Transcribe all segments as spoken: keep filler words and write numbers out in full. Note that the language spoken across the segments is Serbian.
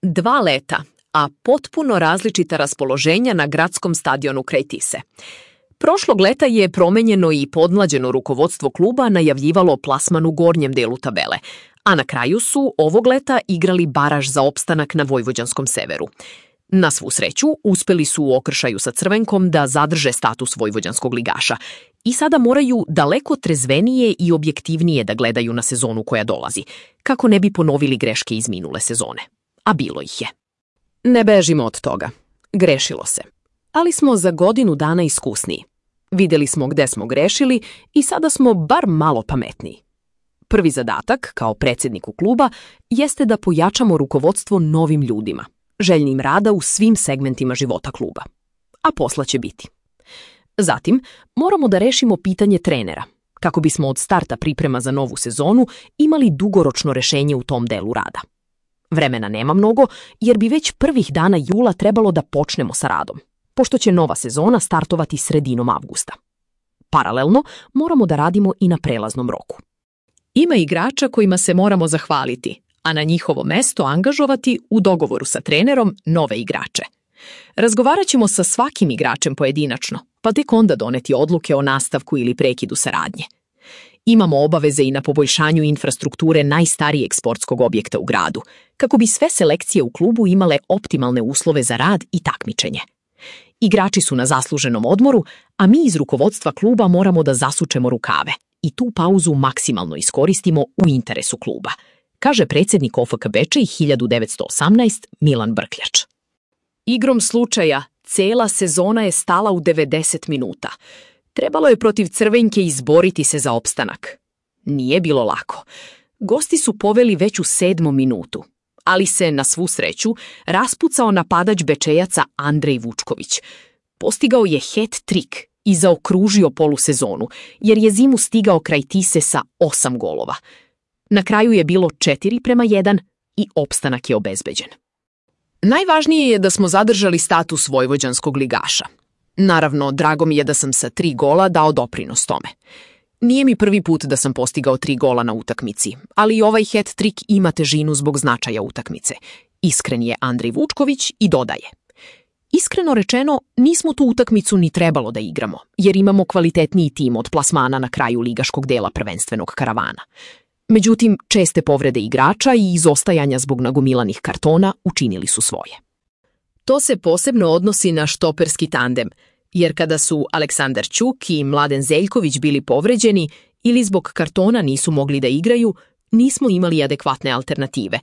Dva leta, a potpuno različita raspoloženja na gradskom stadionu kraj Tise. Prošlog leta je promenjeno i podmlađeno rukovodstvo kluba najavljivalo plasman u gornjem delu tabele, a na kraju su ovog leta igrali baraž za opstanak na vojvođanskom severu. Na svu sreću, uspeli su u okršaju sa Crvenkom da zadrže status vojvođanskog ligaša i sada moraju daleko trezvenije i objektivnije da gledaju na sezonu koja dolazi, kako ne bi ponovili greške iz minule sezone. A bilo ih je. Ne bežimo od toga. Grešilo se. Ali smo za godinu dana iskusniji. Vidjeli smo gde smo grešili i sada smo bar malo pametniji. Prvi zadatak, kao predsjedniku kluba, jeste da pojačamo rukovodstvo novim ljudima, željnim rada u svim segmentima života kluba. A posla će biti. Zatim, moramo da rešimo pitanje trenera, kako bismo od starta priprema za novu sezonu imali dugoročno rešenje u tom delu rada. Vremena nema mnogo, jer bi već prvih dana jula trebalo da počnemo sa radom, pošto će nova sezona startovati sredinom avgusta. Paralelno, moramo da radimo i na prelaznom roku. Ima igrača kojima se moramo zahvaliti, a na njihovo mesto angažovati u dogovoru sa trenerom nove igrače. Razgovarat ćemo sa svakim igračem pojedinačno, pa tek onda doneti odluke o nastavku ili prekidu saradnje. Imamo obaveze i na poboljšanju infrastrukture najstarijeg sportskog objekta u gradu, kako bi sve selekcije u klubu imale optimalne uslove za rad i takmičenje. Igrači su na zasluženom odmoru, a mi iz rukovodstva kluba moramo da zasučemo rukave i tu pauzu maksimalno iskoristimo u interesu kluba, kaže predsjednik O F K Bečej hiljadu devetsto osamnaest Milan Brkljač. Igrom slučaja, cela sezona je stala u devedeset minuta. Trebalo je protiv Crvenke izboriti se za opstanak. Nije bilo lako. Gosti su poveli već u sedmom minutu, ali se, na svu sreću, raspucao napadač Bečejaca Andrej Vučković. Postigao je hat-trik i zaokružio polusezonu, jer je zimu stigao kraj Tise sa osam golova. Na kraju je bilo četiri prema jedan i opstanak je obezbeđen. Najvažnije je da smo zadržali status vojvođanskog ligaša. Naravno, drago mi je da sam sa tri gola dao doprinos tome. Nije mi prvi put da sam postigao tri gola na utakmici, ali i ovaj hat-trik ima težinu zbog značaja utakmice. Iskren je Andrej Vučković i dodaje. Iskreno rečeno, nismo tu utakmicu ni trebalo da igramo, jer imamo kvalitetniji tim od plasmana na kraju ligaškog dela prvenstvenog karavana. Međutim, česte povrede igrača i izostajanja zbog nagomilanih kartona učinili su svoje. To se posebno odnosi na štoperski tandem, jer kada su Aleksandar Ćuk i Mladen Zeljković bili povređeni ili zbog kartona nisu mogli da igraju, nismo imali adekvatne alternative.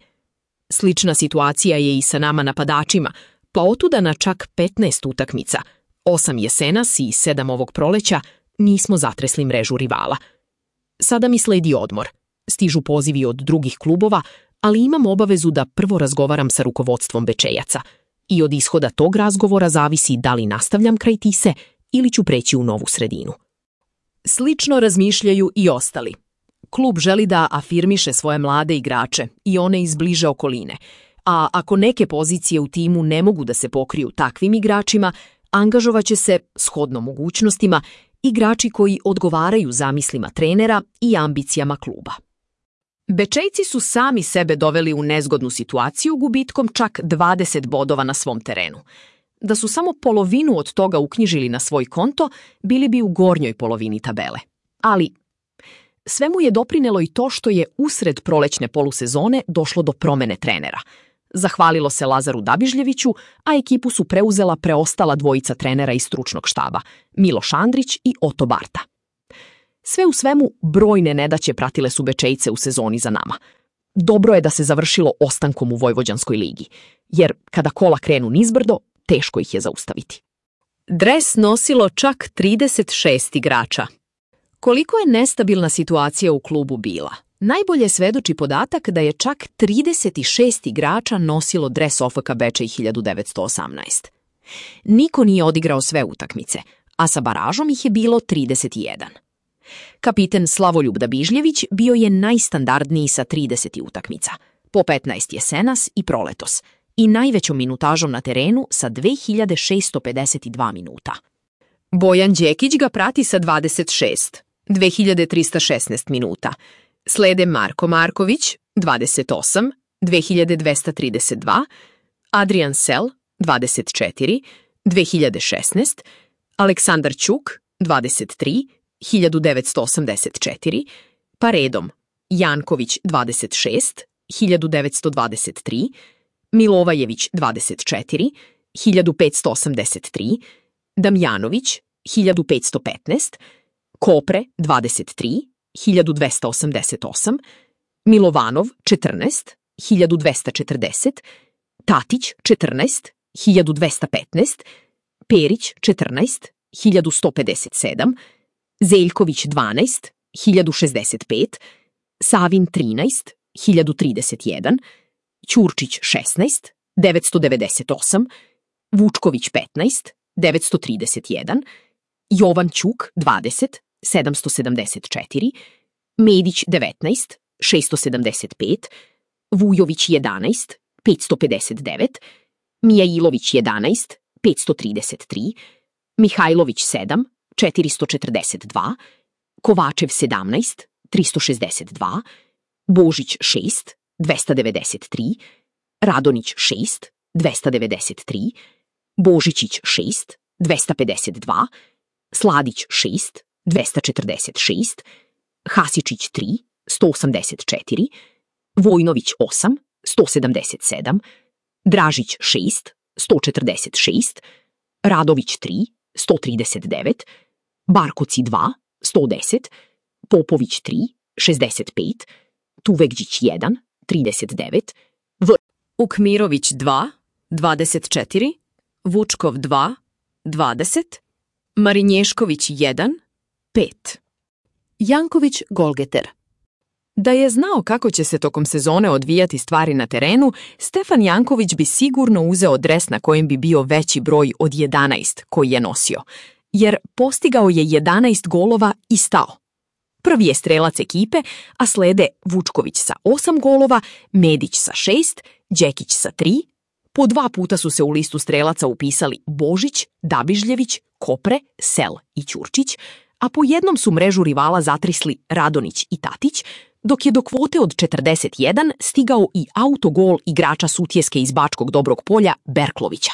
Slična situacija je i sa nama napadačima, pa otuda na čak petnaest utakmica, osam jesenas i sedam ovog proleća, nismo zatresli mrežu rivala. Sada mi sledi odmor. Stižu pozivi od drugih klubova, ali imam obavezu da prvo razgovaram sa rukovodstvom Bečejaca i od ishoda tog razgovora zavisi da li nastavljam kraj Tise ili ću preći u novu sredinu. Slično razmišljaju i ostali. Klub želi da afirmiše svoje mlade igrače i one iz bliže okoline, a ako neke pozicije u timu ne mogu da se pokriju takvim igračima, angažovaće se, shodno mogućnostima, igrači koji odgovaraju zamislima trenera i ambicijama kluba. Bečejci su sami sebe doveli u nezgodnu situaciju gubitkom čak dvadeset bodova na svom terenu. Da su samo polovinu od toga uknjižili na svoj konto, bili bi u gornjoj polovini tabele. Ali svemu je doprinelo i to što je usred prolećne polusezone došlo do promene trenera. Zahvalilo se Lazaru Dabižljeviću, a ekipu su preuzela preostala dvojica trenera iz stručnog štaba, Miloš Andrić i Oto Barta. Sve u svemu, brojne nedaće pratile su Bečejce u sezoni za nama. Dobro je da se završilo ostankom u Vojvođanskoj ligi, jer kada kola krenu nizbrdo, teško ih je zaustaviti. Dres nosilo čak trideset šest igrača. Koliko je nestabilna situacija u klubu bila, najbolje svedoči podatak da je čak trideset šest igrača nosilo dres O F K Bečej hiljadu devetsto osamnaest. Niko nije odigrao sve utakmice, a sa baražom ih je bilo trideset jedan. Kapiten Slavoljub Dabižljević bio je najstandardniji sa trideset utakmica, po petnaest jesenas i proletos, i najvećom minutažom na terenu sa dve hiljade šesto pedeset dva minuta. Bojan Đekić ga prati sa dvadeset šest, dve hiljade trista šesnaest minuta. Slede Marko Marković, dvadeset osam, dve hiljade dvesta trideset dva, Adrian Sel, dvadeset četiri, dve hiljade šesnaest, Aleksandar Ćuk, dvadeset tri, hiljadu devetsto osamdeset četiri, pa redom Janković, dvadeset šest, hiljadu devetsto dvadeset tri, Milovajević, dvadeset četiri, hiljadu petsto osamdeset tri, Damjanović, hiljadu petsto petnaest, Kopre, dvadeset tri, hiljadu dvesta osamdeset osam, Milovanov, četrnaest, hiljadu dvesta četrdeset, Tatić, četrnaest, hiljadu dvesta petnaest, Perić, četrnaest, hiljadu sto pedeset sedam, Zeljković, dvanaest, hiljadu šezdeset pet, Savin, trinaest, hiljadu trideset jedan, Ćurčić, šesnaest, devetsto devedeset osam, Vučković, petnaest, devetsto trideset jedan, Jovan Ćuk, dvadeset, sedamsto sedamdeset četiri, Medić, devetnaest, šesto sedamdeset pet, Vujović, jedanaest, petsto pedeset devet, Mijailović, jedanaest, petsto trideset tri, Mihajlović, sedam, četiristo četrdeset dva, Kovačev, sedamnaest, tristo šezdeset dva, Božić, šest, dvesta devedeset tri, Radonić, šest, dvesta devedeset tri, Božićić, šest, dvesta pedeset dva, Sladić, šest, dvesta četrdeset šest, Hasičić, tri, sto osamdeset četiri, Vojnović, osam, sto sedamdeset sedam, Dražić, šest, sto četrdeset šest, Radović, tri, sto trideset devet, Barkoci, dva, sto deset, Popović, tri, šezdeset pet, Tuvegđić, jedan, trideset devet, V. Ukmirović, dva, dvadeset četiri, Vučkov, dva, dvadeset, Marinješković, jedan, pet. Janković, golgeter. Da je znao kako će se tokom sezone odvijati stvari na terenu, Stefan Janković bi sigurno uzeo dres na kojem bi bio veći broj od jedanaest koji je nosio, jer postigao je jedanaest golova i stao. Prvi je strelac ekipe, a slede Vučković sa osam golova, Medić sa šest, Đekić sa tri, po dva puta su se u listu strelaca upisali Božić, Dabižljević, Kopre, Sel i Ćurčić, a po jednom su mrežu rivala zatrisli Radonić i Tatić, dok je do kvote od četrdeset jedan stigao i autogol igrača Sutjeske iz Bačkog Dobrog Polja Berklovića.